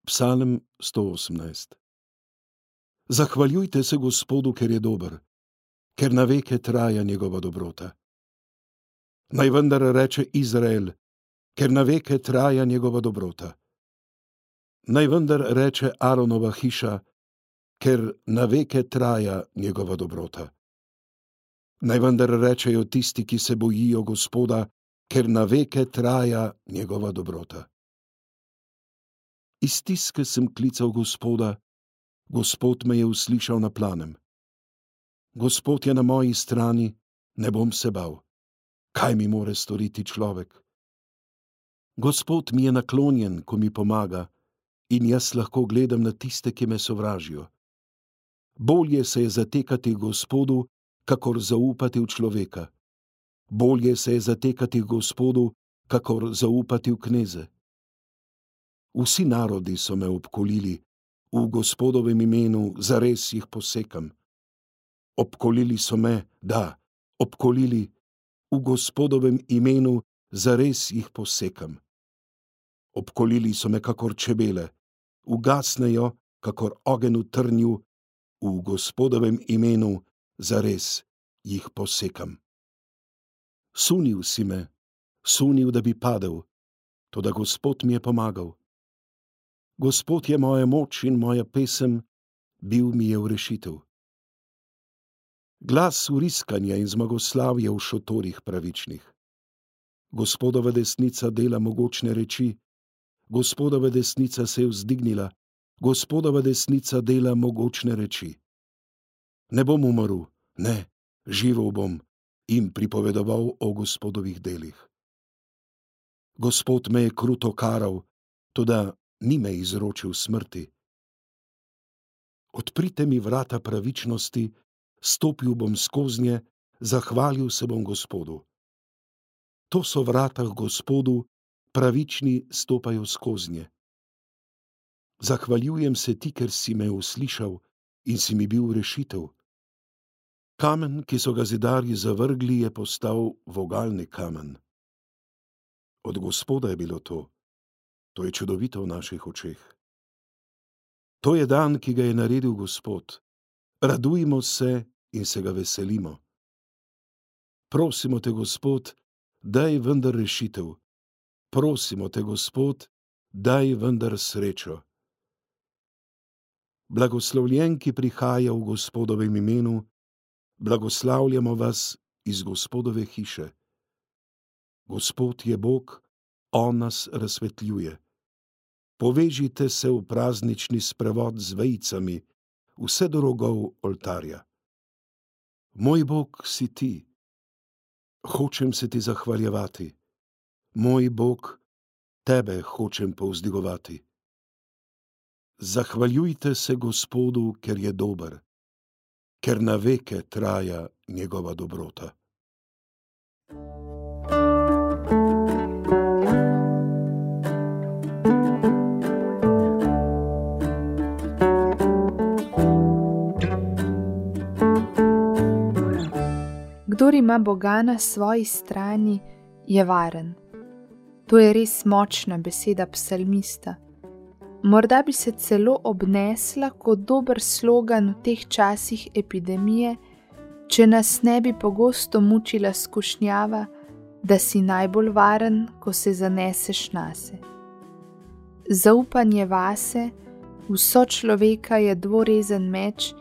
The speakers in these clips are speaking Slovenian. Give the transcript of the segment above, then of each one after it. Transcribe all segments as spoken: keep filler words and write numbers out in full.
Psalm sto osemnajst. Zahvaljujte se Gospodu, ker je dober, ker na veke traja njegova dobrota. Naj vendar reče Izrael, ker na veke traja njegova dobrota. Naj vendar reče Aronova hiša, ker na veke traja njegova dobrota. Naj vendar rečejo tisti, ki se bojijo Gospoda, ker na veke traja njegova dobrota. Iz stiske sem klical Gospoda, Gospod me je uslišal na planem. Gospod je na moji strani, ne bom se bal. Kaj mi more storiti človek? Gospod mi je naklonjen, ko mi pomaga, in jaz lahko gledam na tiste, ki me sovražijo. Bolje se je zatekati Gospodu, kakor zaupati v človeka. Bolje se je zatekati Gospodu, kakor zaupati v kneze. Vsi narodi so me obkolili, v Gospodovem imenu zares jih posekam. Obkolili so me, da, obkolili, v Gospodovem imenu zares jih posekam. Obkolili so me kakor čebele, ugasnejo kakor ogenj v trnju, v Gospodovem imenu zares jih posekam. Sunil si me, sunil, da bi padel, toda Gospod mi je pomagal. Gospod je moja moč in moja pesem, bil mi je v rešitev. Glas vriskanja in zmagoslavja v šotorih pravičnih. Gospodova desnica dela mogočne reči, Gospodova desnica se je vzdignila, Gospodova desnica dela mogočne reči. Ne bom umrl, ne, živel bom in pripovedoval o Gospodovih delih. Gospod me je kruto karal, toda ni me izročil smrti. Odprite mi vrata pravičnosti, stopil bom skoznje, zahvalil se bom Gospodu. To so vrata k Gospodu, pravični stopajo skoznje. Zahvaljujem se ti, ker si me uslišal in si mi bil rešitev. Kamen, ki so ga zidarji zavrgli, je postal vogalni kamen. Od Gospoda je bilo to. To je čudovito v naših očeh. To je dan, ki ga je naredil Gospod. Radujmo se in se ga veselimo. Prosimo te, Gospod, daj vendar rešitev. Prosimo te, Gospod, daj vendar srečo. Blagoslovljen, ki prihaja v Gospodovem imenu, blagoslavljamo vas iz Gospodove hiše. Gospod je Bog, on nas razsvetljuje. Povežite se v praznični sprevod z vejicami, vse do rogov oltarja. Moj Bog si ti. Hočem se ti zahvaljevati. Moj Bog, tebe hočem povzdigovati. Zahvaljujte se Gospodu, ker je dober, ker na veke traja njegova dobrota. Kdor ima Boga na svoji strani, je varen. To je res močna beseda psalmista. Morda bi se celo obnesla kot dober slogan v teh časih epidemije, če nas ne bi pogosto mučila skušnjava, da si najbolj varen, ko se zaneseš nase. Zaupanje vase, v sočloveka je dvorezen meč,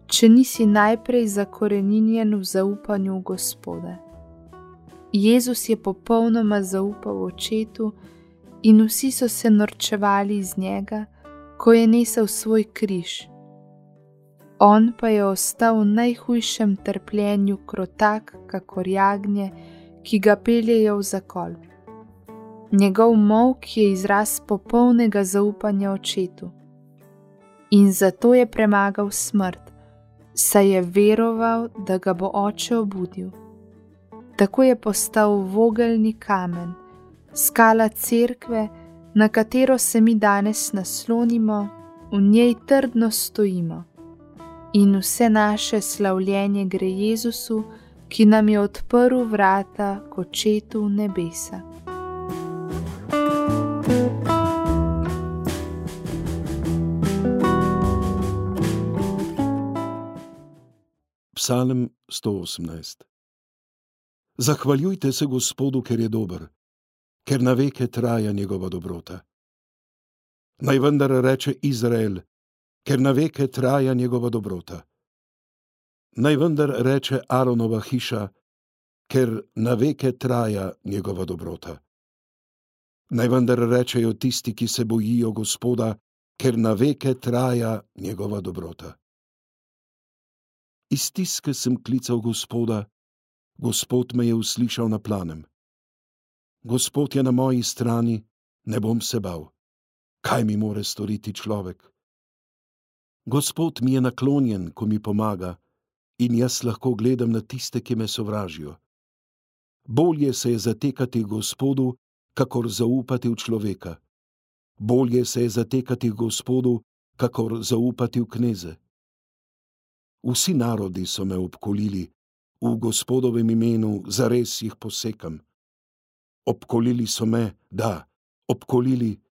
če nisi najprej zakoreninjen v zaupanju v Gospoda. Jezus je popolnoma zaupal Očetu in vsi so se norčevali iz njega, ko je nesel svoj križ. On pa je ostal v najhujšem trpljenju krotak, kakor jagnje, ki ga peljejo v zakol. Njegov molk je izraz popolnega zaupanja Očetu. In zato je premagal smrt, saj je veroval, da ga bo Oče obudil. Tako je postal vogelni kamen, skala cerkve, na katero se mi danes naslonimo, v njej trdno stojimo. In vse naše slavljenje gre Jezusu, ki nam je odprl vrata k Očetu v nebesa. Psalm sto osemnajst. Zahvaljujte se Gospodu, ker je dober, ker na veke traja njegova dobrota. Naj vendar reče Izrael, ker na veke traja njegova dobrota. Naj vendar reče Aronova hiša, ker na veke traja njegova dobrota. Naj vendar rečejo tisti, ki se bojijo Gospoda, ker na veke traja njegova dobrota. Iz stiske sem klical Gospoda, Gospod me je uslišal na planem. Gospod je na moji strani, ne bom se bal. Kaj mi more storiti človek? Gospod mi je naklonjen, ko mi pomaga, in jaz lahko gledam na tiste, ki me sovražijo. Bolje se je zatekati Gospodu, kakor zaupati v človeka. Bolje se je zatekati Gospodu, kakor zaupati v kneze. Vsi narodi so me obkolili, v Gospodovem imenu zares jih posekam. Obkolili so me, da, obkolili,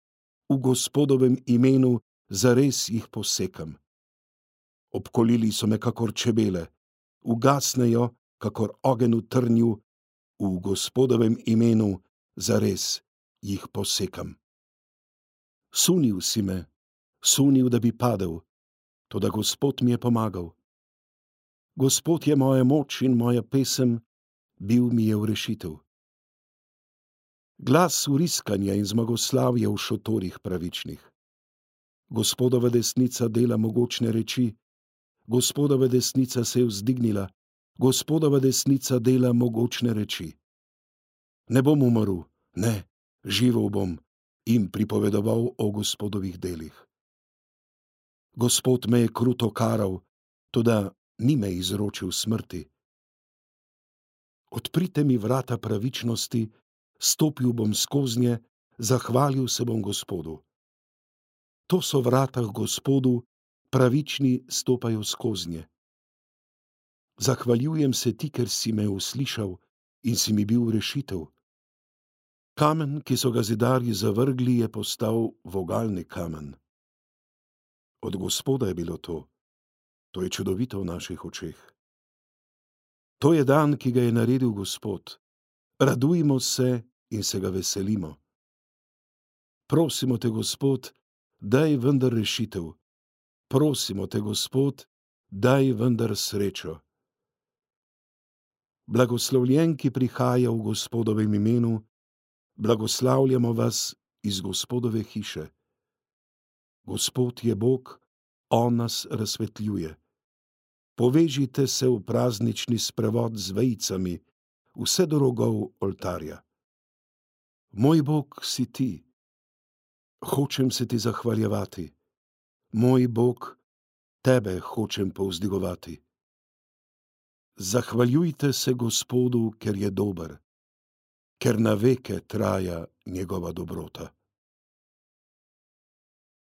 v Gospodovem imenu zares jih posekam. Obkolili so me kakor čebele, ugasnejo kakor ogenj v trnju, v Gospodovem imenu zares jih posekam. Sunil si me, sunil, da bi padel, toda Gospod mi je pomagal. Gospod je moja moč in moja pesem, bil mi je v rešitev. Glas vriskanja in zmagoslavja v šotorih pravičnih. Gospodova desnica dela mogočne reči, Gospodova desnica se je vzdignila, Gospodova desnica dela mogočne reči. Ne bom umrl, ne, živel bom in pripovedoval o Gospodovih delih. Gospod me je kruto karal, toda ni me izročil smrti. Odprite mi vrata pravičnosti, stopil bom skoznje, zahvalil se bom Gospodu. To so vrata k Gospodu, pravični stopajo skoznje. Zahvaljujem se ti, ker si me uslišal in si mi bil rešitev. Kamen, ki so ga zidarji zavrgli, je postal vogalni kamen. Od Gospoda je bilo to. To je čudovito v naših očeh. To je dan, ki ga je naredil Gospod. Radujmo se in se ga veselimo. Prosimo te, Gospod, daj vendar rešitev. Prosimo te, Gospod, daj vendar srečo. Blagoslovljen, ki prihaja v Gospodovem imenu, blagoslavljamo vas iz Gospodove hiše. Gospod je Bog, on nas razsvetljuje. Povežite se v praznični sprevod z vejicami, vse do rogov oltarja. Moj Bog si ti. Hočem se ti zahvaljevati. Moj Bog, tebe hočem povzdigovati. Zahvaljujte se Gospodu, ker je dober, ker na veke traja njegova dobrota.